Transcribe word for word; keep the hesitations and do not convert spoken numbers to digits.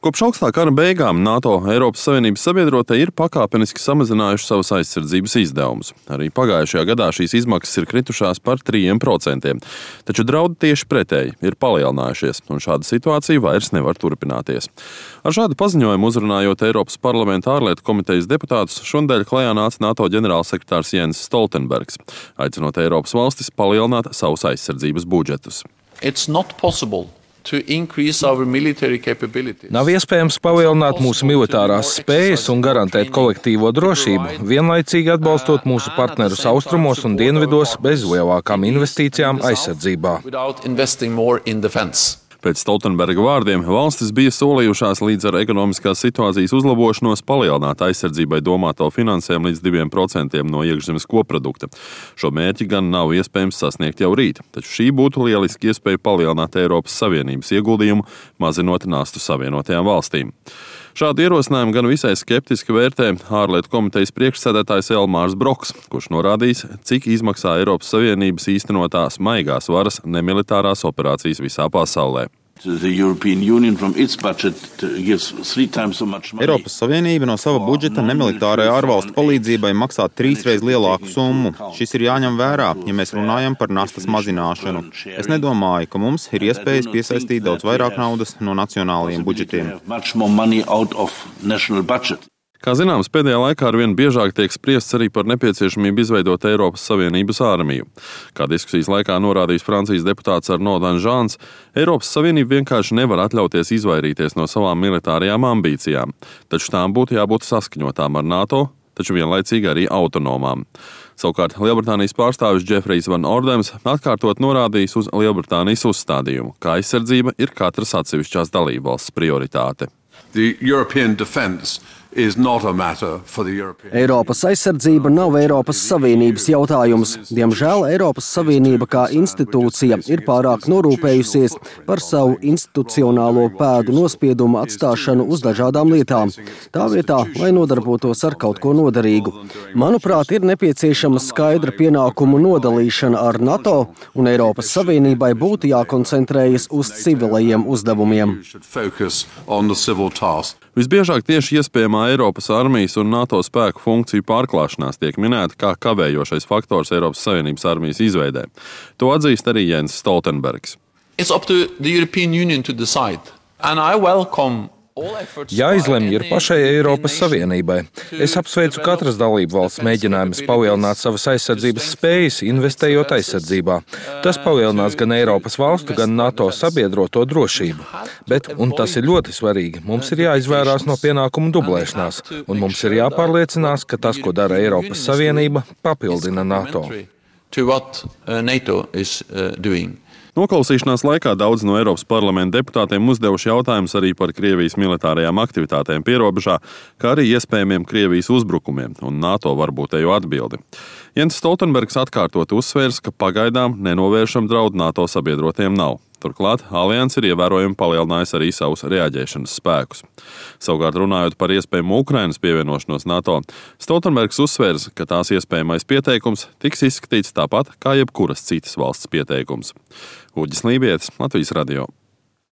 Kopš augstā kara beigām NATO Eiropas Savienības sabiedrotie ir pakāpeniski samazinājuši savus aizsardzības izdevumus. Arī pagājušajā gadā šīs izmaksas ir kritušās par trīs procentiem. Taču draudi tieši pretēji ir palielinājušies, un šāda situācija vairs nevar turpināties. Ar šādu paziņojumu uzrunājot Eiropas parlamenta ārlietu komitejas deputātus, šonadēļ klajā nāca NATO ģenerālsekretārs Jens Stoltenbergs, aicinot Eiropas valstis palielināt savus aizsardzības budžetus. It's not possible to increase our military capabilities. Nav iespējams palielināt mūsu militārās spējas un garantēt kolektīvo drošību, vienlaicīgi atbalstot mūsu partnerus austrumos un dienvidos bez lielākām investīcijām aizsardzībā. Pēc Stoltenberga vārdiem valstis bija solījušās līdz ar ekonomiskās situācijas uzlabošanos palielināt aizsardzībai domāto finansējumu līdz diviem procentiem no iekšzemes koprodukta. Šo mērķi gan nav iespējams sasniegt jau rīt, taču šī būtu lieliski iespēja palielināt Eiropas Savienības ieguldījumu, mazinot nastu Savienotajām valstīm. Šādu ierosinājumu gan visai skeptiski vērtē ārlietu komitejas priekšsēdētājs Elmārs Broks, kurš norādījis, cik izmaksā Eiropas Savienības īstenotās maigās varas nemilitārās operācijas visā pasaulē. Eiropas Savienība no sava budžeta nemilitārajai ārvalstu palīdzībai maksā trīsreiz lielāku summu. Šis ir jāņem vērā, ja mēs runājam par nastas mazināšanu. Es nedomāju, ka mums ir iespējas piesaistīt daudz vairāk naudas no nacionālajiem budžetiem. Kā zināms, pēdējā laikā arvien biežāk tiek spriests arī par nepieciešamību izveidot Eiropas Savienības ārmiju. Kā diskusijas laikā norādījis Francijas deputāts Arnaud Danjeans, Eiropas Savienība vienkārši nevar atļauties izvairīties no savām militārajām ambīcijām, taču tām būtu jābūt saskaņotām ar NATO, taču vienlaicīgi arī autonomām. Savukārt Lielbritānijas pārstāvis Džefrijs Van Ordems atkārtot norādījis uz Lielbritānijas uzstādījumu, ka aizsardzība ir katras atsevišķās dalībvalsts prioritāte. Eiropas aizsardzība nav Eiropas Savienības jautājums. Diemžēl Eiropas Savienība kā institūcija ir pārāk norūpējusies par savu institucionālo pēdu nospiedumu atstāšanu uz dažādām lietām. Tā vietā, lai nodarbotos ar kaut ko noderīgu. Manuprāt, ir nepieciešama skaidra pienākumu nodalīšana ar NATO, un Eiropas Savienībai būtu jākoncentrējas uz civilajiem uzdevumiem. Visbiežāk tieši iespējamā Eiropas armijas un NATO spēku funkciju pārklāšanās tiek minēta kā kavējošais faktors Eiropas Savienības armijas izveidē. To atzīst arī Jens Stoltenbergs. It's up to the European Union to decide, and I welcome Jāizlemj ir pašai Eiropas Savienībai. Es apsveicu katras dalību valsts mēģinājumus palielināt savas aizsardzības spējas, investējot aizsardzībā. Tas palielinās gan Eiropas valstu, gan NATO sabiedroto drošību. Bet, un tas ir ļoti svarīgi, mums ir jāizvērās no pienākumu dublēšanās, un mums ir jāpārliecinās, ka tas, ko dara Eiropas Savienība, papildina NATO. Noklausīšanās laikā daudz no Eiropas parlamenta deputātiem uzdevuši jautājumus arī par Krievijas militārajām aktivitātēm pierobežā, kā arī iespējamiem Krievijas uzbrukumiem un NATO varbūtējo atbildi. Jens Stoltenbergs atkārtot uzsvērs, ka pagaidām nenovēršam draudu NATO sabiedrotiem nav. Turklāt alianse ir ievērojami palielinājusi arī savus reaģēšanas spēkus. Savukārt runājot par iespējamu Ukrainas pievienošanos NATO, Stoltenbergs uzsvērs, ka tās iespējamais pieteikums tiks izskatīts tāpat kā jebkuras citas valsts pieteikums. Uģis Lībietis, Latvijas radio.